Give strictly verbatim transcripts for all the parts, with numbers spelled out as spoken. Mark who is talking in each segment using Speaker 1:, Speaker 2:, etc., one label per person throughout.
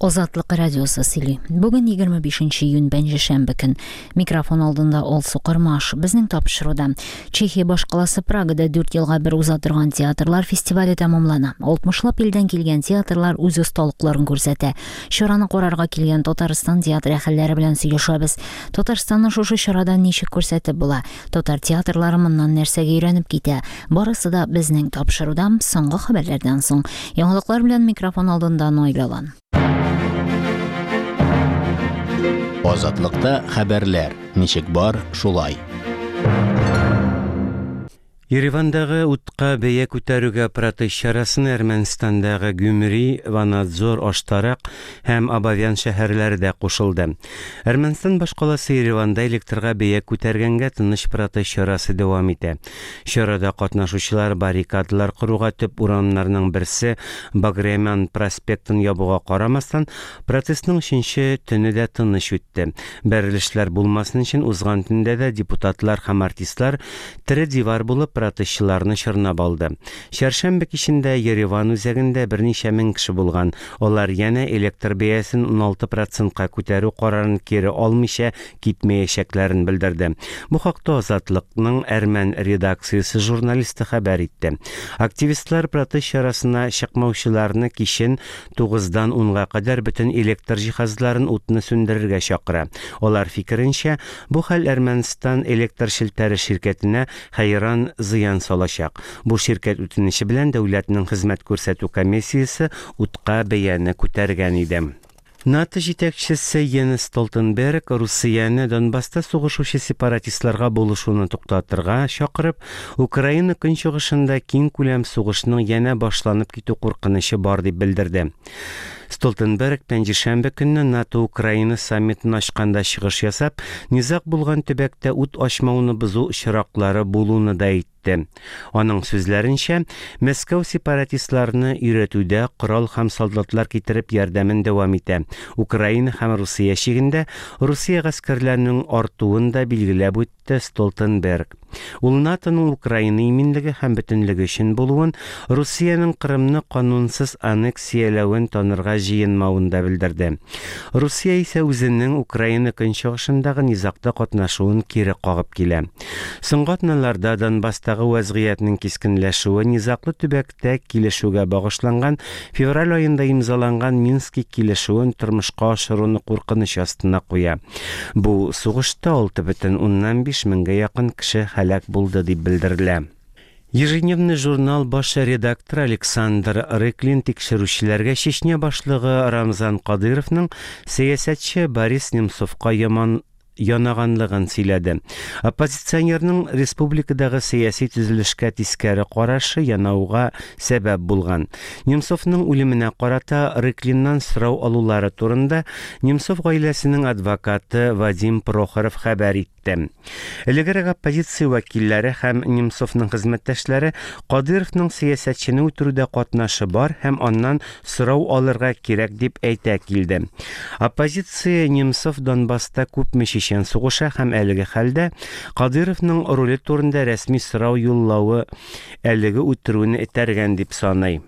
Speaker 1: Азатлык радиосы сөйли. Бүген егерме бишенче июнь, пәнҗешәмбе көн. Микрофон алдында Алсу Кырмаш. Безнең тапшыруда Чехия башкаласы Прагада дүрт елга бер уза торган театрлар фестивале тәмамлана. Алтмышлап илдән килгән театрлар үз осталыкларын күрсәтә. Чараны карарга килгән Татарстан театр әһелләре белән сөйләшәбез. Татарстанны шушы чарада ничек күрсәтеп була? Татар театрлары моннан нәрсәгә өйрәнеп китә? Барысы да безнең тапшыруда соңгы хәбәрләрдән соң. Яңалыклар белән микрофон алдында Наилә Алан.
Speaker 2: Азатлыкта хәбәрләр ничек бар, шулай.
Speaker 3: Еревандагы утка бәя күтәрүгә протест чарасын Әрмәнстандагы Гюмри, Ванадзор, Аштарак һәм Абавян шәһәрләре дә кушылды. Әрмәнстан башкаласы Ереванда электрга бәя күтәргәнгә тыныч протест чарасы дәвам итә. Чарада катнашучылар баррикадалар коруга төп урамнарның берсе Баграмян проспектын ябуга карамастан, протестның өченче төне дә тыныч үтте. Бәрелешләр булмасын өчен узган төндә дә депутатлар һәм артистлар тере дивар булып протестчыларны чорнап алды. Чәршәмбе кичендә Ереван үзәгендә берничә мең кеше булган. Алар янә электр бәясен уналты процентка күтәрү карарын кире алмыйча китмәячәкләрен белдерде. Бу хакта Азатлыкның әрмән редакциясе журналисты хәбәр итте. Активистлар протест чарасына чыкмаучыларны кичен тугыздан унга кадәр бөтен электр җиһазларын утны сүндерергә чакыра. Алар фикеренчә, бу хәл Әрмәнстан электр челтәре ширкәтенә хәйран зыян салачак. Бу ширкәт үтенече белән дәүләтнең хезмәт күрсәтү комиссиясе утка бәяне күтәргән иде. НАТО җитәкчесе Йенс Столтенберг Русияне Донбасста сугышучы сепаратистларга булышуны туктатырга чакырып, Украина көнчыгышында киң күләм сугышның янә башланып китү куркынычы бар дип белдерде. Столтенберг пәнҗешәмбе көнне НАТО Украина саммитын ачканда чыгыш ясап, низаг булган төбәктә ут ачмауны бозу очраклары булуны да әйтте. Аның сүзләренчә, Мәскәү сепаратистларны өйрәтүдә корал һәм солдатлар китереп ярдәмен дәвам итә. Украина һәм Русия чигендә Русия гаскәрләренең артуын да билгеләп үтте Столтенберг. Ул НАТОның Украина иминлеге һәм бөтенлеге өчен булуын, Русиянең Кырымны канунсыз аннексияләвен танырга җыенмавын да белдерде. Русия исә үзенең Украина көнчыгышындагы низагта катнашуын кире кагып килә. Соңгы атналарда Донбасстагы вәзгыятьнең кискенләшүе низаглы төбәктә килешүгә багышланган февраль аенда имзаланган Мински килешүен тормышка ашыруны куркыныч астына куя. Бу сугышта алты бөтен уннан биш меңгә якын кеше һәлак булды дип белдерелә. Ежедневный журнал баш редакторы Александр Рыклин тикшерүчеләргә Чечня башлыгы Рамзан Кадыровның сәясәтче Борис Немцовка яман янаганлыгын сөйләде. Оппозиционерның республикадагы сәяси төзелешкә тискәре карашы янауга сәбәп булган. Немцовның үлеменә карата Рыклиннан сорау алулары турында Немцов гаиләсенең адвокаты Вадим Прохоров хәбәр итте. Элегрәк оппозиция вәкилләре һәм Немцовның хезмәттәшләре Кадыровның сәясәтчене үтерүдә катнашы бар һәм аннан сорау алырга кирәк дип әйтә килде. Оппозиция Немцов Донбасста күпме чечен сугыша һәм әлеге хәлдә Кадыровның роле турында рәсми сорау юллавы әлеге үтерүне этәргән дип саный.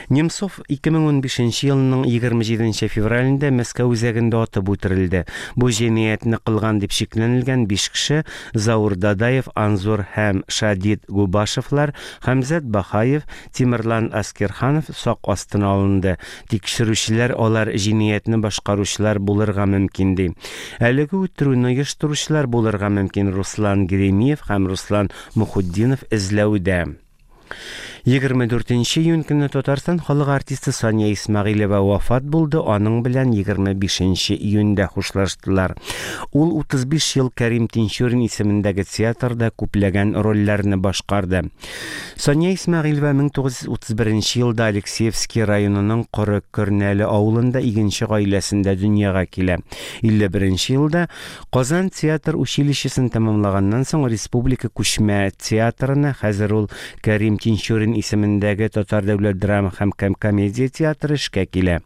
Speaker 3: Немцов ике мең унбишенче елның егерме җиденче февралендә Мәскәү үзәгендә атып үтерелде. Бу җинаятьне кылган дип шикләнелгән биш кеше Заур Дадаев, Анзор һәм Шадид Губашевлар, Хәмзәт Бахаев, Тимерлан Аскерханов сак астына алынды. Тикшерүчеләр алар җинаятьне башкаручылар булырга мөмкин ди. Әлеге үтерүне оештыручылар булырга мөмкин Руслан Геремеев һәм Руслан Мухутдинов эзләүдә. Егерме дүртенче июнь көнне Татарстан халык артисты Сания Исмәгыйлева вафат булды, аның белән егерме бишенче июньдә хушлаштылар. Ул утыз биш ел Кәрим Тинчурин исемендәге театрда күпләгән рольләрне башкарды. Сания Исмәгыйлева мең тугыз йөз утыз беренче елда Алексеевский районының Коры Көрнәле авылында игенче гаиләсендә дөньяга килә. Илле беренче елда Казан театр училищесын тәмамлаганнан соң Республика күчмә театрына, хәзер ул Кәрим Тинчурин исемендәге Татар дәүләт драма һәм комедия театры эшкә килә.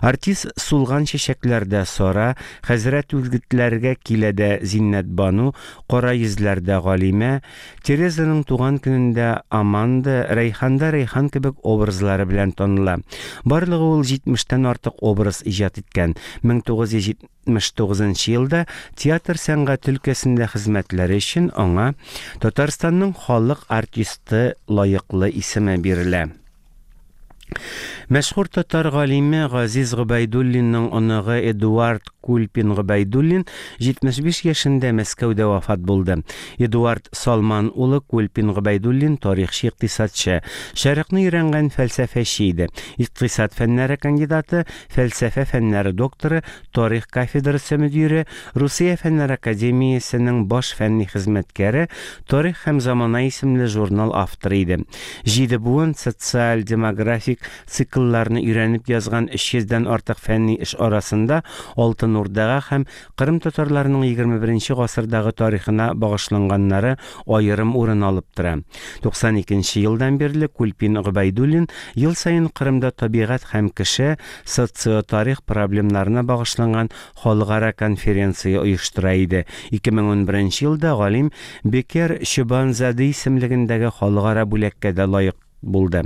Speaker 3: Артист Сулган чәчәкләрдә Сара, Хәзрәт Үлгетләргә киләдә Зиннәт Бану, Кара йөзләрдә Галимә, Терезаның туган көнендә Аманда, Рәйханда Рәйхан кебек образлары белән таныла. Барлыгы ул җитмештән артык образ иҗат иткән. мең тугыз йөз җитмеш тугызынчы елда театр сәнгате өлкәсендә хезмәтләре өчен аңа Татарстанның халык артисты лаеклы исеме бирелә. Мәшһүр татар галиме Газиз Гобәйдуллинның оныгы Эдуард Кульпин Гобәйдуллин җитмеш биш яшендә Мәскәүдә вафат булды. Эдуард Салман улы Кульпин Гобәйдуллин тарихчы, икътисадчы, шәрыкны өйрәнгән фәлсәфәче иде. Икътисад фәннәре кандидаты, фәлсәфә фәннәре докторы, тарих кафедрасы мөдире, Русия фәннәр академиясенең баш фәнни хезмәткәре, Тарих һәм замана исемле журнал авторы иде. Җиде буын социаль-демографик циклларны өйрәнеп язган өч йөздән артык фәнни эш арасында Алтын Урдага һәм Кырым татарларының егерме беренче гасырдагы тарихына багышланганнары аерым урын алып тора. Туксан икенче елдан бирле Кульпин Гобәйдуллин ел саен Кырымда табигать һәм кеше социотарих проблемнарына багышланган халыкара конференция оештыра иде. Ике мең ун беренче елда галим Бекер Чобанзаде исемлегендәге халыкара бүләккә дә лаек булды.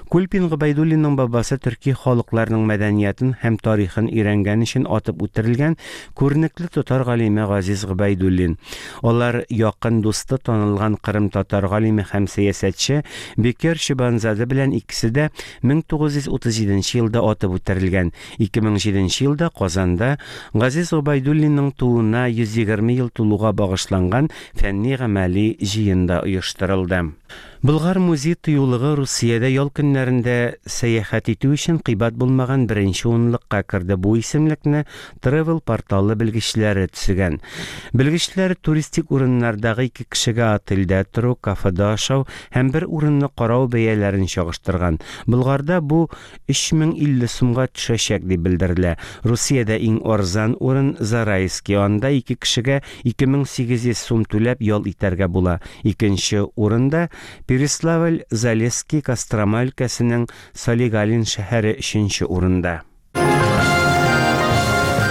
Speaker 3: Кульпин Гобәйдуллинның бабасы төрки халыкларының мәдәниятын һәм тарихын өйрәнгән өчен атып үтерелгән күренекле татар галиме Газиз Гобәйдуллин. Алар якын дусты танылган Кырым татар галиме һәм сәясәтче Бекер Чобанзаде белән икесе дә мең тугыз йөз утыз җиденче елда атып үтерелгән. Ике мең җиденче елда Казанда Газиз Гобәйдуллинның тууына йөз егерме ел тулуга багышланган фәнни гамәли җыен да оештырылды. Болгар музей тыюлыгы Русиядә ял көннәрендә сәяхәт итү өчен кыйбат булмаган беренче унлыкка керде. Бу исемлекне Travel порталы белгечләре төзегән. Белгечләр туристик урыннардагы ике кешегә отельдә тору, кафеда ашау һәм бер урынны карау бәяләрен чагыштырган. Болгарда бу өч мең илле сумга төшәчәк дип белдерелә. Русиядә иң арзан урын Зарайский, анда ике кешегә ике мең сигез йөз сум түләп ял итәргә була. Икенче урында Переславль, Залесский, Кострома өлкәсенең Солигалин шәһәре өченче урында.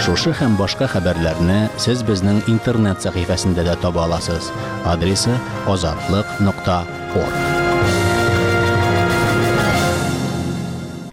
Speaker 2: Шушы һәм башка хәбәрләрне сез безнең интернет сәхифәсендә дә таба аласыз. Адресы азатлык нокта орг.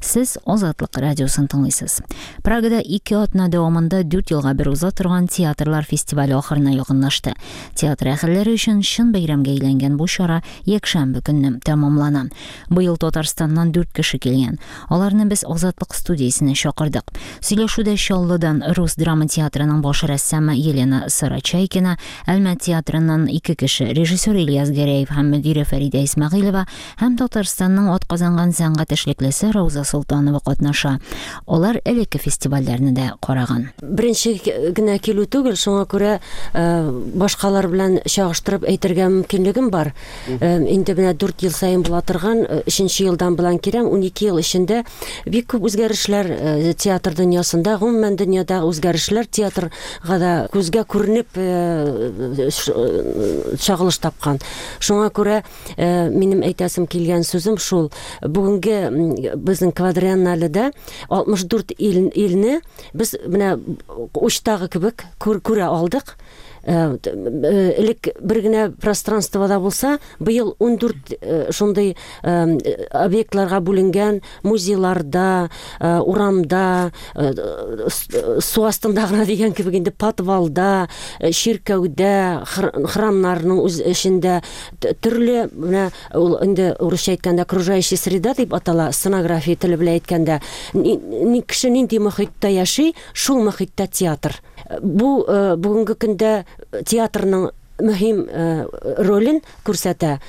Speaker 1: Сез Азатлык радиосын тыңлыйсыз. Прагада ике атна дәвамында дүрт елга бер уза торган театрлар фестивале ахырына якынлашты. Театр әһелләре өчен чын бәйрәмгә әйләнгән бу чара якшәмбе көнне тәмамлана. Быел Татарстаннан дүрт кеше килгән. Аларны без Азатлык студиясенә чакырдык. Сөйләшүдә Чаллыдан Рус драма театрының баш рәссамы Елена Сарачайкина, Әлмәт театрыннан ике кеше, режиссер Ильяс Гәрәев һәм мөдире Фәридә Исмәгыйлева һәм Татарстанның атказанган сәнгать эшлеклесе Рауза Солтанова катнаша. Алар элекке фестивальләрне дә караган.
Speaker 4: Беренче генә килү түгел, шуңа күрә, э, башкалар белән чагыштырып әйтергә мөмкинлегем бар. Э, инде менә дүрт ел саен була торган, э, өченче елдан белән киләм, унике ел эчендә бик күп үзгәрешләр, э, театр дөньясында, гомумән дөньядагы үзгәрешләр театрга да күзгә күренеп, э, ш-, э, чагылыш тапкан. Шуңа күрә, э, минем әйтәсем килгән сүзем шул. Бүгенге, м, безнең квадриенналеда алтмыш дүрт ил, илне без менә учтагы кебек күр-, күрә алдык. Э, т-, э, элек бер генә пространствода булса, быел ундүрт, э, шундый, э, объектларга бүленгән музейларда, э, урамда, э, с-, э, су астында гына дигән кебек инде подвалда, э, чиркәүдә, хр-, храмнарның үз эчендә т-, төрле, менә ул инде урысча әйткәндә окружающая среда дип атала, сценография теле белән әйткәндә, ни, ни, кеше нинди мохиттә яши, шул мохиттә театр. Бу, э, бүгенге көндә театрның мөһим, э, ролен күрсәтә.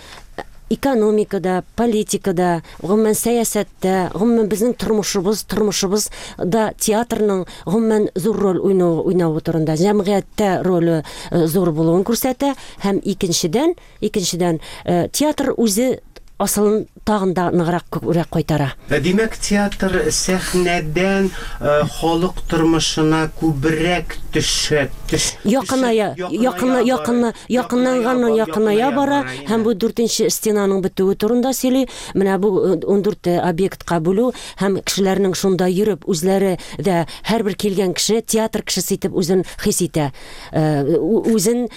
Speaker 4: Экономикада, политикада, гомумән сәясәттә, гомумән безнең тормышыбыз, тормышыбыз да театрның гомумән зур роль уйнау, уйнавы турында, җәмгыятьтә роле, э, зур булуын күрсәтә. Һәм икенчедән, икенчедән, э, театр үзе асылын тагын да ныграк күбрәк кайтара.
Speaker 3: Димәк, театр сәхнәдән халык тормышына күбрәк төшә, төш,
Speaker 4: якыная, якына, якына, якынланганнан якыная бара һәм бу дүртенче стенаның бетүе турында сөйли. Менә бу ун дүрт объектка бүлү һәм кешеләрнең шунда йөреп үзләре дә һәрбер килгән кеше театр кешесе итеп үзен хис итә. Үзен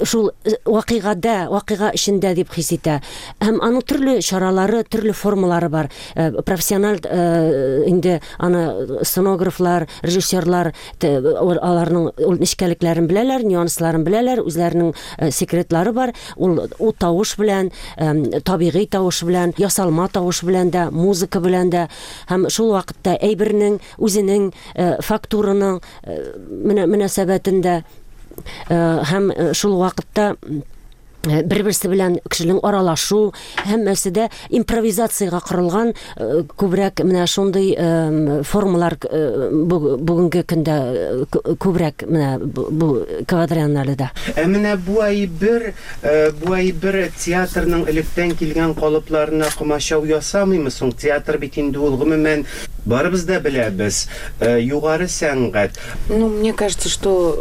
Speaker 4: шул вакыйгада, вакыйга эчендә дип хис итә. Һәм аның төрле чаралары, төрле формалары бар. Профессиональ инде аны сценографлар, режиссерлар аларның ул нечкәлекләрен беләләр, нюансларын беләләр, үзләренең секретлары бар. Ул ул тавыш белән, табигый тавыш белән, ясалма тавыш белән дә, музыка белән дә һәм шул вакытта әйбернең үзенең фактураның мөнәсәбәтендә һәм шул вакытта бер-берсе белән кешенең аралашу һәммәсе дә импровизациягә корылган күбрәк менә шундый формалар бүгенге көндә күбрәк менә бу квадрианналеда.
Speaker 3: Ә менә бу әйбер, бу әйбер театрның электән килгән калыпларына комачау ясамыймы соң? Театр бит инде ул гомумән барыбыз да беләбез, югары сәнгать.
Speaker 5: Ну, мне кажется, что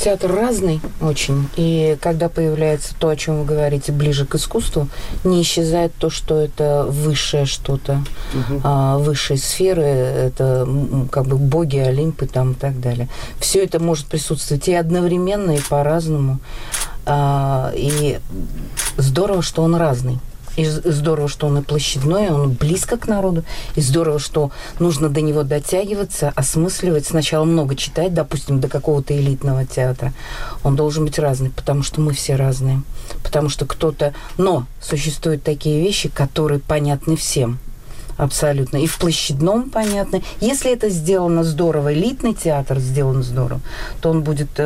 Speaker 5: театр разный очень, и когда появляется то, о чем вы говорите, ближе к искусству, не исчезает то, что это высшее что-то, угу. а, высшие сферы, это как бы боги, Олимпы там и так далее. Все это может присутствовать и одновременно, и по-разному. А, и здорово, что он разный. И здорово, что он и площадной, он близко к народу. И здорово, что нужно до него дотягиваться, осмысливать. Сначала много читать, допустим, до какого-то элитного театра. Он должен быть разный, потому что мы все разные. Потому что кто-то... Но существуют такие вещи, которые понятны всем. Абсолютно. И в площадном понятно. Если это сделано здорово, элитный театр сделан здорово, то он будет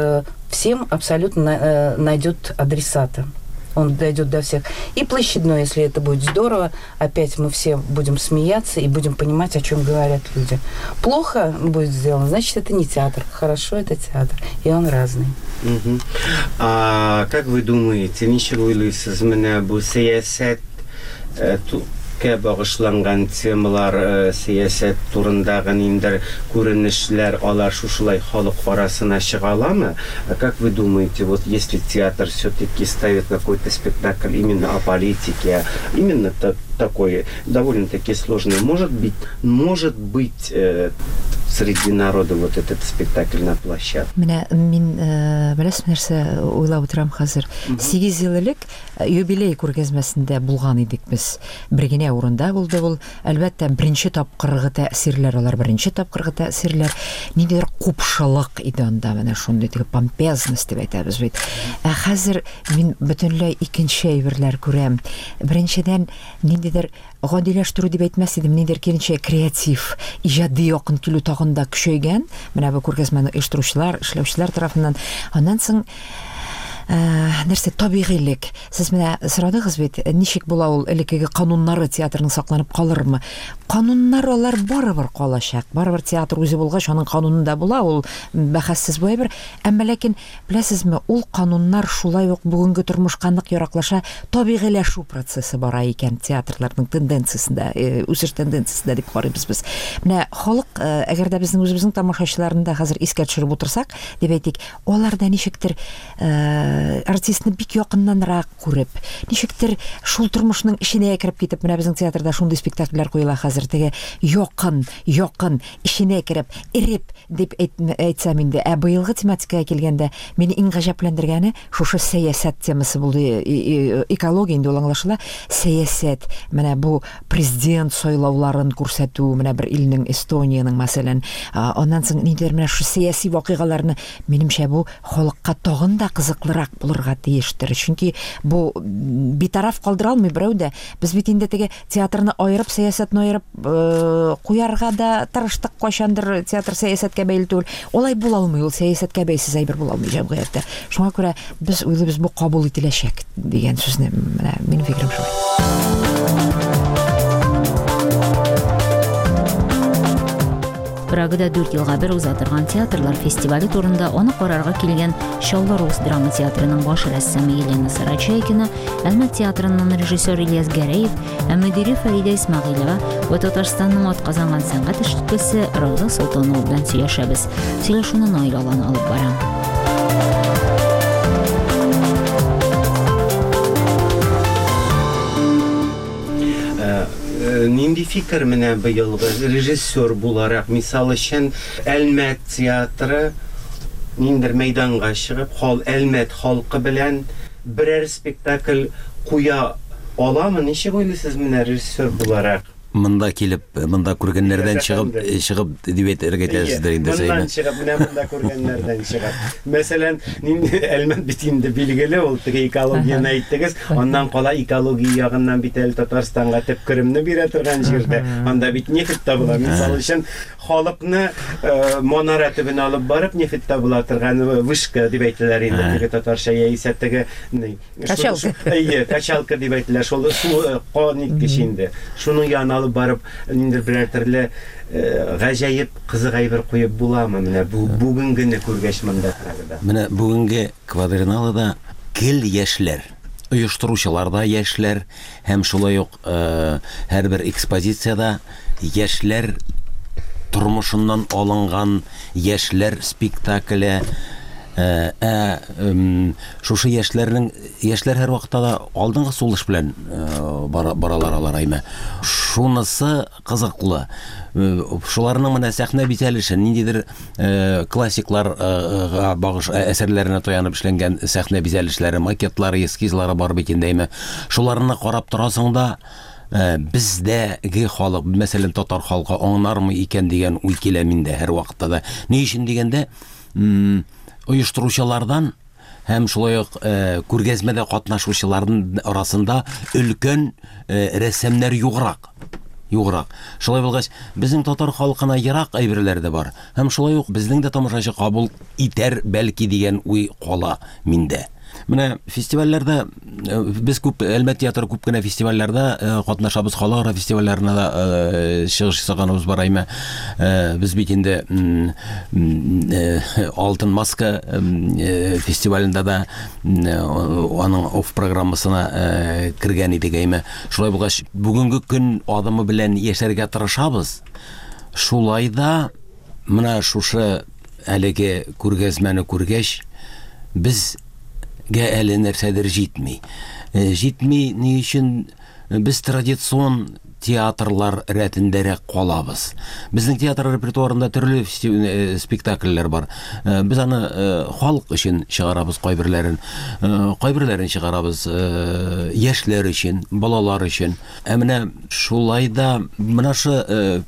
Speaker 5: всем абсолютно найдет адресата. Он дойдет до всех. И площадной, если это будет здорово, опять мы все будем смеяться и будем понимать, о чем говорят люди. Плохо будет сделано, значит, это не театр. Хорошо, это театр. И он разный.
Speaker 3: Угу. А как вы думаете, ничек уйлыйсыз, менә бу сәясәт багышланган темалар, сәясәт турындагы ниндидер күренешләр, алар шушылай халык арасына чыга аламы? Как вы думаете, вот если театр все-таки ставит какой-то спектакль именно о политике, именно такой довольно-таки сложный, может быть, может быть э, среди народа вот этот спектакль на площадке?
Speaker 6: Менә мин беләсез нәрсә уйлап утырам хәзер. Сигез ел элек юбилей күргәзмәсендә булган идек без. Бер генә урында булды ул. Әлбәттә, беренче тапкыргы тәэсирләр, алар беренче тапкыргы тәэсирләр. Ниндидер купшылык иде анда, менә шундый теге помпезность дип әйтәбез бит. Ә хәзер мин бөтенләй икенче әйберләр күрәм. Беренчедән, ниндидер гадиләштерү дип әйтмәс идем, ниндидер киренчә креатив, иҗади якын килү тагын да көчәйгән. Менә бу күргәзмәне оештыручылар, эшләүчеләр тарафыннан. Аннан соң нәрсә, табигыйлек. Сез менә сорадыгыз бит, ничек була ул элеккеге кануннары театрның сакланып калырмы? Кануннар алар барыбер калачак. Барыбер театр үзе булгач, аның канунында була, ул бәхәссез бу әйбер. Әмма ләкин беләсезме, ул кануннар шулай ук бүгенге тормышка нык яраклаша, табигыйләшү процессы бара икән театрларның тенденциясендә, үсеш тенденциясендә дип карыйбыз без. Менә халык, әгәр дә безнең үзебезнең тамашачыларны да хәзер искә төшереп утырсак, дип әйтик, алар да ничектер артистны бик якыннанрак күреп, ничектер шул тормышның эченә кереп китеп, менә безнең театрда шундый спектакльләр куела хәзер, теге якын, якын, эченә кереп, эреп дип әйтсәм инде. Ә быелгы тематикага килгәндә, мине иң гаҗәпләндергәне шушы сәясәт темасы булды. Экология инде ул аңлашыла, сәясәт, менә бу президент сайлауларын күрсәтү, менә бер илнең, Эстониянең мәсәлән, аннан соң ниндидер менә шушы сәяси вакыйгаларны, минемчә, бу халыкка тагын да кызыклырак булырга тиештер. Чөнки бу битараф калдыра алмый берәү дә. Без бит инде теге театрны аерып, сәясәтне аерып куярга да тырыштык, кайчандыр театр сәясәткә бәйле түгел. Алай була алмый, ул сәясәткә бәйсез әйбер була алмый җәмгыятьтә. Шуңа күрә без уйлыйбыз, бу кабул ителәчәк дигән сүзне, менә минем фикерем шулай.
Speaker 1: Прагада дүрт елга бер уза торган театрлар фестивале турында аны карарга килгән Чаллы рус драма театрының баш рәссамы Елена Сарачайкина, Әлмәт театрының режиссер Ильяс Гәрәев, ә мөдире Фәридә Исмәгыйлева ва Татарстанның атказанган сәнгать эшлеклесе Рауза Солтанова белән сөйләшәбез. Сөйләшүне Наил Алан алып бара.
Speaker 3: Нинди фикер менә быелгы режиссер буларак, мисал өчен, Әлмәт театры ниндер мәйданга чыгып, хал Әлмәт халкы белән берәр спектакль куя аламы? Ничек уйлыйсыз менә режиссер буларак?
Speaker 7: Монда килеп, монда күргәннәрдән чыгып, чыгып дип әйтергә теләсездер инде сез.
Speaker 3: Моннан чыгып, менә монда күргәннәрдән чыгып. Мәсәлән, нинди Әлмәт бит инде билгеле, ул теге экологияне әйттегез, аннан кала экология ягыннан бит әле Татарстанга төп керемне бирә торган җирдә. Анда бит нефть табыла. Мисал өчен, халыкны манара төбенә алып барып нефть табыла торган вышка дип әйтәләр инде теге татарча яисә теге
Speaker 6: качалка.
Speaker 3: Әйе, качалка дип әйтелә. Шул су кан иткеч инде. Шуның янына алып барып, ниндидер берәр төрле гаҗәеп кызык әйбер куеп буламы менә бу бүгенгене күргәч монда Прагада?
Speaker 7: Менә бүгенге квадриналада гел яшьләр, оештыручылар да яшьләр һәм шулай ук һәрбер экспозициядә яшьләр тормышыннан алынган яшьләр спектакле. Ә шушы яшьләрнең, яшьләр һәр вакытта да алдынгы сулыш белән баралар алар әйме. Шунысы кызыклы. Шуларның менә сәхнә бизәлеше, ниндидер классикларга багыш әсәрләренә таянып эшләнгән сәхнә бизәлешләре, макетлары, эскизлары бар бит инде әйме. Шуларны карап торасың да, бездәге халык, мәсәлән, татар халкы аңлармы икән дигән уй килә миндә һәр вакытта да. Ни өчен дигәндә, оештыручылардан һәм шулай ук күргәзмәдә катнашучыларның арасында өлкән рәссамнар юграк. Юграк. Шулай булгач, безнең татар халкына ерак әйберләр дә бар. Һәм шулай ук безнең дә тамашачы кабул итәр бәлки дигән уй кала миндә. Менә фестивальләрдә без күп, Әлмәт театры күп кенә фестивальләрдә катнашабыз, халыкара фестивальләренә дә чыгыш ясаганыбыз бар әйме. Без бит инде Алтын маска фестивалендә дә аның оф программасына кергән идек әйме. Шулай булгач, бүгенге көн адымы белән яшәргә тырышабыз. Шулай да менә шушы әлеге күргәзмәне күргәч, без гә әле нәрсәдер җитми. Җитми ни өчен без традицион театрлар рәтендәрәк калабыз. Безнең театр репертуарында төрле спектакльләр бар. Без аны халык өчен чыгарабыз кайберләрен, кайберләрен чыгарабыз яшьләр өчен, балалар өчен. Ә менә шулай да менә шу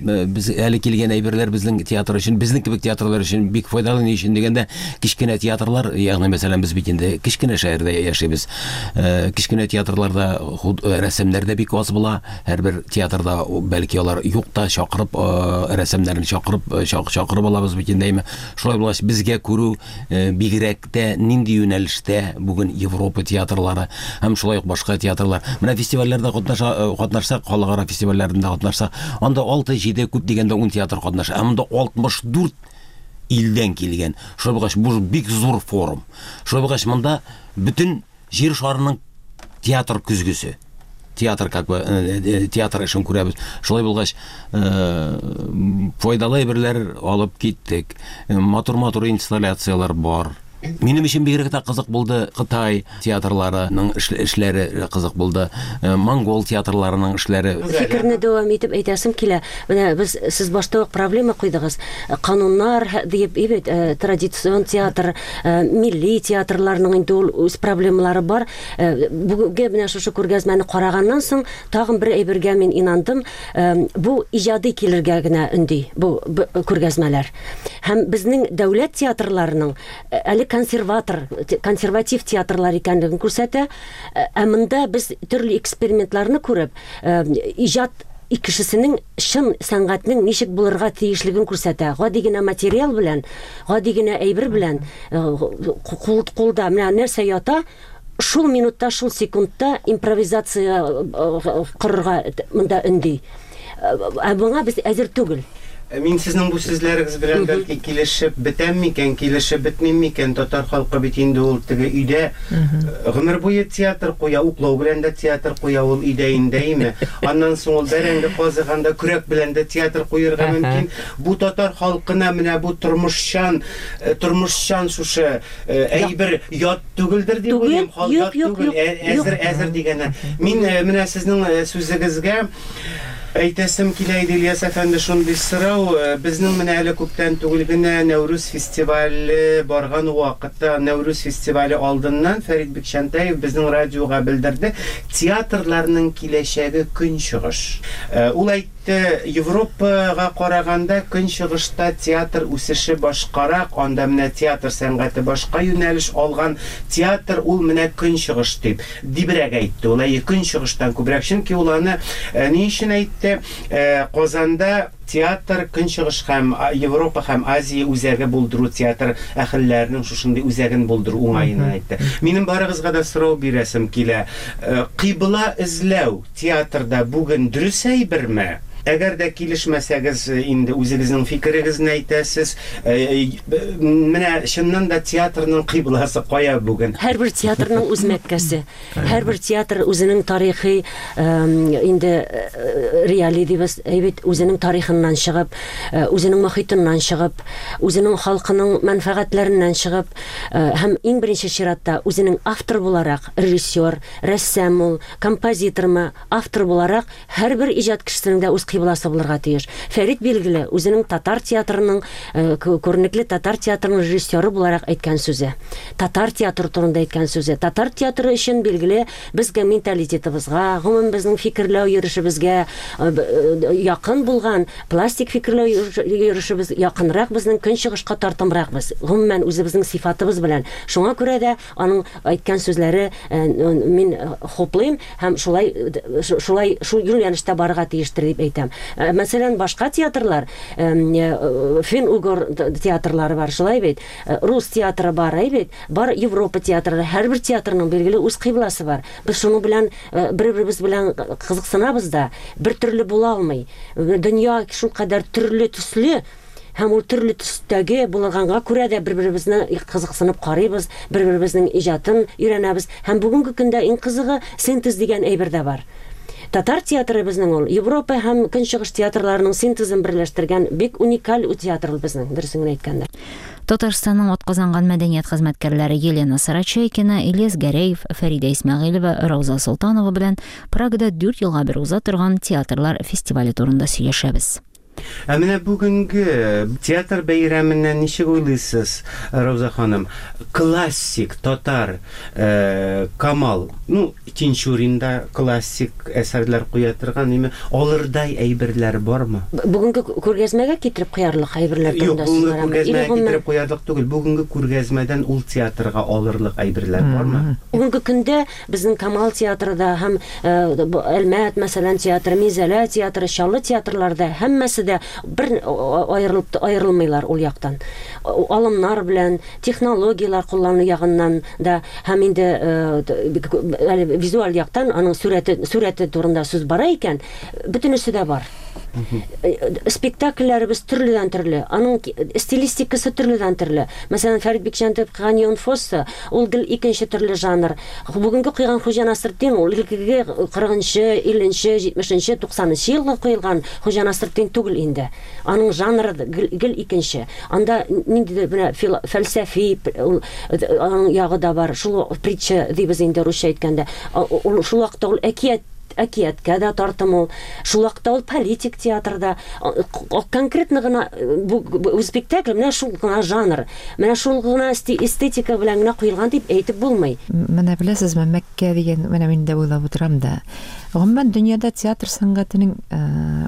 Speaker 7: без әле килгән әйберләр безнең театр өчен, безнең кебек театрлар өчен бик файдалы. Ни өчен дигәндә, кечкенә театрлар, ягъни мәсәлән, без бит инде кечкенә шәһәрдә яшибез. Кечкенә театрларда рәсемнәр дә бик аз була. Һәрбер театрда бәлки алар юк та чакырып, рәсемнәрен чакырып, чакырып алабыз бит инде. Шулай булгач, безгә күрү бигрәк тә нинди юнәлештә бүген Европа театрлары һәм шулай ук башка театрлар. Менә фестивальләрдә катнаша, катнашсак, халыкара фестивальләрендә катнашсак, анда алты, җиде, күп дигәндә ун театр катнаша. Ә монда алтмыш дүрт илдән килгән. Шулай булгач, бу бик зур форум. Шулай булгач, монда бөтен җир шарының театр көзгесе. Театр как бы театр эшен күрәбез. Шулай булгач, файдалы әйберләр алып киттек. Матур-матур инсталляцияләр бар. Минем өчен бигрәк тә кызык булды Кытай театрларының эшләре кызык булды, монгол театрларының эшләре.
Speaker 4: Фикерне дәвам итеп әйтәсем килә. Менә без сез башта ук проблема куйдыгыз. Кануннар диеп, бит, традицион театр, милли театрларның инде ул үз проблемалары бар. Бүгенге менә шушы күргәзмәне караганнан соң тагын бер әйбергә мин инандым. Бу иҗади килергә генә өнди бу күргәзмәләр. Һәм безнең дәүләт театрларының әле консерватор, консерватив театрлар икәнлеген күрсәтә. Ә монда без төрле экспериментларны күреп, иҗат кешесенең чын сәнгатьнең ничек булырга тиешлеген күрсәтә. Гади генә материал белән, гади генә әйбер белән кулда менә нәрсә ята, шул минутта, шул секундта импровизация корырга монда өнди. Ә моңа без әзер түгел.
Speaker 3: Мин сезнең бу сүзләрегез белән бәлки килешеп бетәм микән, килешеп бетмим микән? Татар халкы бит инде ул теге өйдә гомер буе театр куя, уклау белән дә театр куя ул өйдә инде, Аннан соң ул бәрәңге казыганда көрәк белән дә театр куярга мөмкин. Бу татар халкына менә бу тормышчан, тормышчан шушы әйбер ят түгелдер дип уйлыйм, халык түгел, әзер әзер дигәннәр. Мин менә сезнең сүзегезгә әйтәсем килә иде, Ильяс әфәнде, шундый сорау. Безнең менә әле күптән түгел генә Нәүрүз фестивале барган вакытта, Нәүрүз фестивале алдыннан Фәрит Бикчәнтәев безнең радиога белдерде, театрларның киләчәге көнчыгыш. Ул әйтте, Европага караганда көнчыгышта театр үсеше башкарак, анда менә театр сәнгате башка юнәлеш алган, театр ул менә көнчыгыш дип дибрәк әйтте. Ул әйе көнчыгыштан күбрәк, чөнки ул аны ни өчен әйтте? Казанда театр көнчыгыш һәм Европа һәм Азия үзәге булдыру, театр әһелләренең шушындый үзәген булдыру уңаена әйтте. Минем барыгызга да сорау бирәсем килә. Кыйбла эзләү театрда бүген дөрес әйберме? Әгәр дә килешмәсәгез, инде үзегезнең фикерегезне әйтәсез. Менә чыннан да театрның кыйбласы кая бүген?
Speaker 4: Һәрбер театрның үз мәккәсе. Һәрбер театр үзенең тарихи инде реалий дибез, әйбит, үзенең тарихыннан чыгып, үзенең мохитыннан чыгып, үзенең халкының мәнфәгатьләреннән чыгып, һәм иң беренче чиратта үзенең автор буларак, режиссер, рәссам ул, композитормы, автор буларак һәрбер иҗат кешесенең дә үз кыйбласы булырга тиеш. Фәрит билгеле үзенең татар театрының, күренекле татар театрының режиссеры буларак әйткән сүзе. Татар театры турында әйткән сүзе. Татар театры өчен билгеле безгә менталитетыбызга, гомумән безнең фикерләү йөрүшебезгә якын булган пластик фикерләү йөрүшебез якынрак, безнең көнчыгышка тартымрак без. Гомумән үзебезнең сыйфатыбыз белән. Шуңа күрә дә аның әйткән сүзләре мин хуплыйм һәм шулай шулай шул юнәлештә барырга тиештер дип әйтәм. Мәсәлән, башка театрлар, фин-угор театрлары бар, шулай бит, рус театры бар, бит, бар Европа театры, һәрбер театрның билгеле үз кыйбласы бар. Без шуның белән бер-беребез белән кызыксынабыз да, бер төрле була алмый. Дөнья шулкадәр төрле төсле, һәм ул төрле төстәге булганга күрә дә бер-беребезне кызыксынып карыйбыз, бер-беребезнең иҗатын өйрәнәбез. Һәм бүгенге көндә иң кызыгы синтез дигән әйбер дә бар. Татар театры безнең ул Европа һәм Көнчыгыш театрларының синтезын берләштергән бик уникаль театр безнең, дөресен генә әйткәндә.
Speaker 1: Татарстанның атказанган мәдәният хезмәткәрләре Елена Сарачайкина, Ильяс Гәрәев, Фәридә Исмәгыйлева, Рауза Солтанова белән Прагада дүрт елга бер уза торган театрлар фестивале турында сөйләшәбез.
Speaker 3: Ә менә бүгенге театр бәйрәменнән ничек уйлыйсыз, Рауза ханым? Классик татар э, Камал, ну, Тинчурин да классик әсәрләр куя торган, неме алырдай әйберләр бармы?
Speaker 4: Бүгенге күргәзмәгә китереп куярлык әйберләр турында
Speaker 3: сүз барамы? Юк, бүгенге күргәзмәгә китереп куярлык түгел, бүгенге күргәзмәдән ул театрга алырлык әйберләр бармы?
Speaker 4: Бүгенге көндә безнең Камал театрында һәм Әлмәт, мәсәлән, театры, Минзәлә театры, Чаллы театрларда һәммәсе дә бер аерылып аерылмыйлар ул яктан. Алымнар белән, технологияләр куллану ягыннан да һәм инде визуаль яктан аның сурәте сурәте турында сүз бара икән, бөтенесе дә бар. Спектакльләребез төрледән төрле, аның стилистикасы төрледән төрле. Мәсәлән, Фәрит Бикчәнтәев куйган Йон Фосса, ул гел икенче төрле жанр. Бүгенге куйган Хуҗа Насретдин, ул элеккеге кырыгынчы, илленче, җитмешенче, туксанынчы елга куелган Хуҗа Насретдин түгел инде. Аның жанры гел икенче. Анда ниндидер менә фәлсәфи аның ягы да бар. Шул притча дибез инде русча әйткәндә. Ул шул вакытта ул әкият әкияткә дә тартым ул. Шул вакытта ул политик театрда. Конкретно гына бу спектакль менә шул гына жанр, менә шул гына эстетика белән генә куелган дип әйтеп булмый.
Speaker 6: Менә беләсезме, Мәккә дигән, менә мин дә уйлап утырам да. Гомумән дөньяда театр сәнгатенең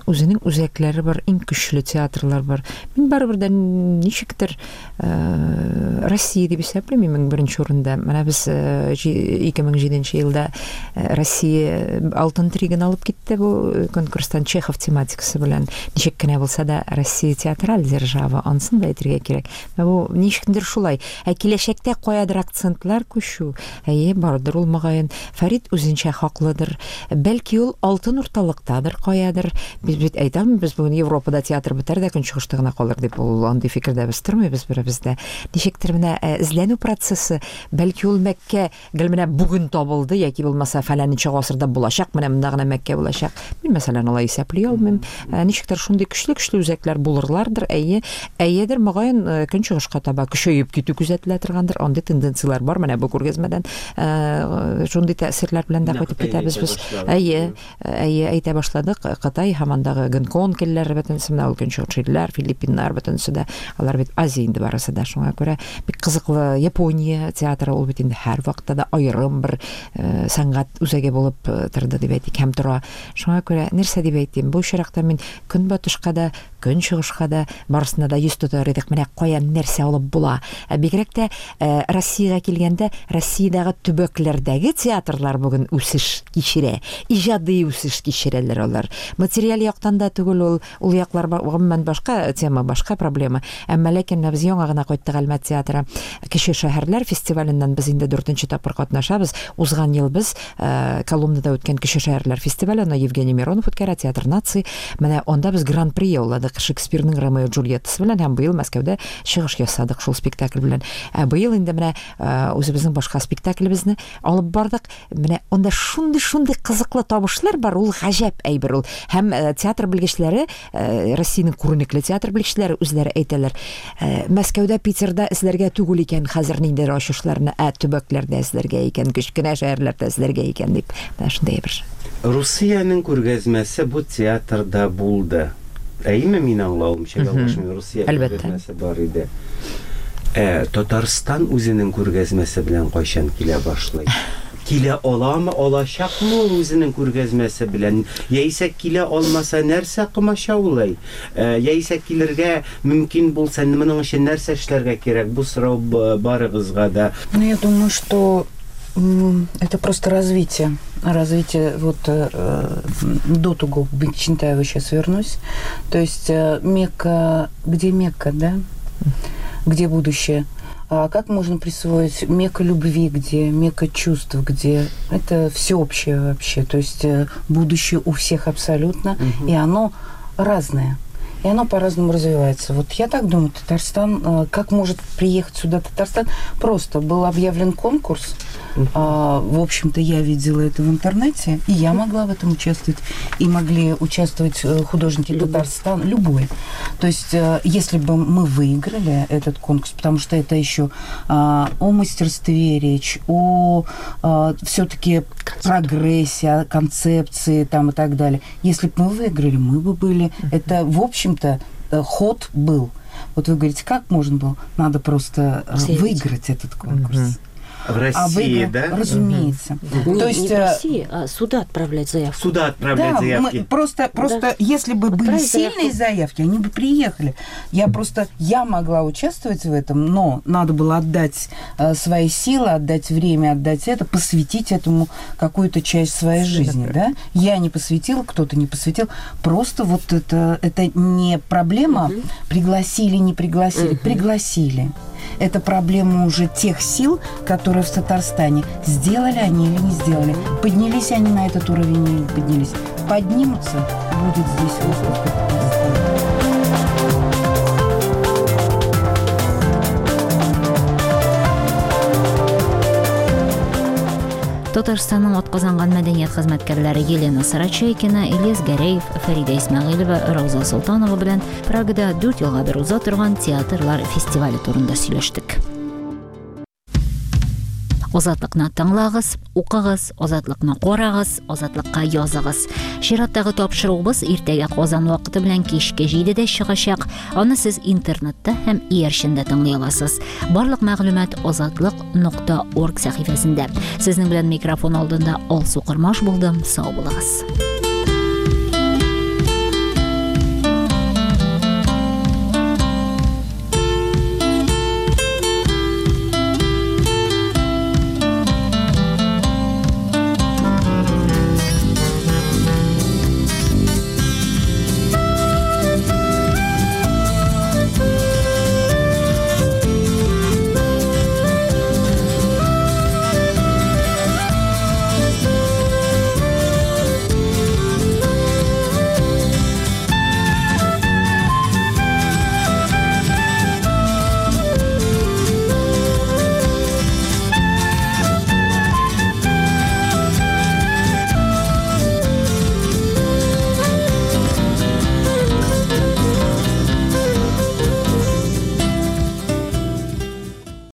Speaker 6: үзенең үзәкләре бар, иң көчле театрлар бар. Мин барыбер дә ничектер Россия дип исәплим иң беренче урында. Менә без ике мең җиденче елда Россия алтын триген алып китте бу конкурстан Чехов тематикасы белән. Ничек кенә булса да Россия театраль держава, ансын да әйтергә кирәк. Бу ничектер шулай. Ә киләчәктә каядыр акцентлар күчү, әйе, бардыр ул мөгаен. Фәрит үзенчә хаклыдыр. Бәлки ул алтын урталыктадыр каядыр. Без бит әйтәм, без бүген Европада театр бетәр дә көнчыгышта гына калыр дип, ул андый фикердә без тормыйбыз беребез дә. Ничектер менә эзләнү процессы, бәлки ул Мәккә гел менә бүген табылды яки булмаса фәләненче гасырда булачак, менә монда гына Мәккә булачак. Мин мәсәлән алай исәпли алмыйм. Ничектер шундый көчле-көчле үзәкләр булырлардыр, әйе, әйедер мөгаен көнчыгышка таба көчәеп китү күзәтелә торгандыр. Андый тенденцияләр бар менә бу күргәзмәдән шундый тәэсирләр белән дә кайтып китәбез без. Әйе, әйе, әйтә башладык. Кытай һәм андагы Гонконг илләре бөтенесе, менә ул көнчыгыш илләр, Филиппиннар бөтенесе дә, алар бит Азия инде барысы да. Шуңа күрә бик кызыклы Япония театры ул бит инде һәр вакытта да аерым бер сәнгать үзәге булып торды дип әйтик һәм тора. Шуңа күрә нәрсә дип әйтим, бу очракта мин көнбатышка да, көнчыгышка да барысына да йөз тотар идек. Менә каян нәрсә алып була. Ә бигрәк тә Россиягә килгәндә, Россиядәге төбәкләрдәге театрлар бүген үсеш кичерә, иҗади үсеш кичерәләр алар. Материаль яктан да түгел ул, ул яклар гомумән башка тема, башка проблема. Әмма ләкин без яңа гына кайттык Әлмәт театры Кече шәһәрләр фестиваленнән без инде дүртенче тапкыр катнашабыз. Узган ел без Коломнада үткән Кече шәһәрләр фестивале, аны Евгений Миронов үткәрә, Театр наций. Менә анда без гран-при яуладык Шекспирның Ромео Джульеттасы белән һәм быел Мәскәүдә чыгыш ясадык шул спектакль белән. Ә быел инде менә үзебезнең башка спектаклебезне алып бардык. Менә анда шундый-шундый кызыклы табышлар бар, ул гаҗәп әйбер ул. Һәм театр белгечләре, Россиянең күренекле театр белгечләре үзләре әйтәләр, Мәскәүдә, Питерда эзләргә түгел икән хәзер ниндидер ачышларны, ә төбәкләрдә эзләргә икән, кечкенә шәһәрләрдә эзләргә икән дип. Менә шундый әйбер.
Speaker 3: Русиянең күргәзмәсе бу театрда булды. Әйеме, мин аңлавымча, ялгышмыйм, Русия күргәзмәсе бар иде. Ә Татарстан үзенең күргәзмәсе белән кайчан килә башлый? Килә аламы, алачакмы ул үзенең күргәзмәсе белән? Яисә килә алмаса нәрсә комачаулый? Яисә килергә мөмкин булса, моның өчен нәрсә эшләргә кирәк? Бу сорау барыгызга да.
Speaker 5: Ну, я думаю, что это просто развитие. Развитие, вот э, до того, к Чинтаеву сейчас вернусь. То есть э, Мекка, где Мекка, да? Где будущее? А как можно присвоить Мекка любви, где Мекка чувств, где это всеобщее вообще. То есть будущее у всех абсолютно, угу. И оно разное. И оно по-разному развивается. Вот я так думаю, Татарстан, как может приехать сюда Татарстан? Просто был объявлен конкурс. Uh-huh. А, в общем-то, я видела это в интернете, и я могла в этом участвовать, и могли участвовать художники любой. Татарстана, любой. То есть, если бы мы выиграли этот конкурс, потому что это еще а, о мастерстве речь, о а, все-таки прогрессе, о концепции там, и так далее. Если бы мы выиграли, мы бы были. Uh-huh. Это, в общем-то, ход был. Вот вы говорите, как можно было? Надо просто Заявить. Выиграть этот конкурс. Uh-huh.
Speaker 3: В России, а выигра... да?
Speaker 5: Разумеется.
Speaker 4: Да. То не, есть, не в России, а сюда отправлять заявку.
Speaker 3: Сюда отправлять
Speaker 5: да,
Speaker 3: заявки.
Speaker 5: Мы просто, просто
Speaker 4: да.
Speaker 5: если бы были
Speaker 4: Отправить
Speaker 5: сильные
Speaker 4: заявку.
Speaker 5: заявки, они бы приехали. Я просто, я могла участвовать в этом, но надо было отдать э, свои силы, отдать время, отдать это, посвятить этому какую-то часть своей жизни, да? Я не посвятила, кто-то не посвятил. Просто вот это, это не проблема, угу. пригласили, не пригласили, угу. пригласили. Это проблема уже тех сил, которые в Татарстане. Сделали они или не сделали. Поднялись они на этот уровень или не поднялись. Поднимутся, будет здесь выставка Татарстана.
Speaker 1: Татарстанның атказанган мәдәният хезмәткәрләре Елена Сарачайкина, Ильяс Гәрәев, Фәридә Исмәгыйлева, Рауза Солтанова белән Прагада дүрт елга бер уза торган театрлар фестивале турында сөйләштек. Азатлыкны тыңлагыз, укыгыз, Азатлыкны карагыз, Азатлыкка языгыз. Чираттагы тапшыруыбыз иртәгә Казан вакыты белән кичке җидедә чыгачак. Аны сез интернетта һәм иярчендә тыңлый аласыз. Барлык мәгълүмат азатлык нокта орг сәхифәсендә. Сезнең белән микрофон алдында Алсу Кырмаш булдым. Сау булыгыз.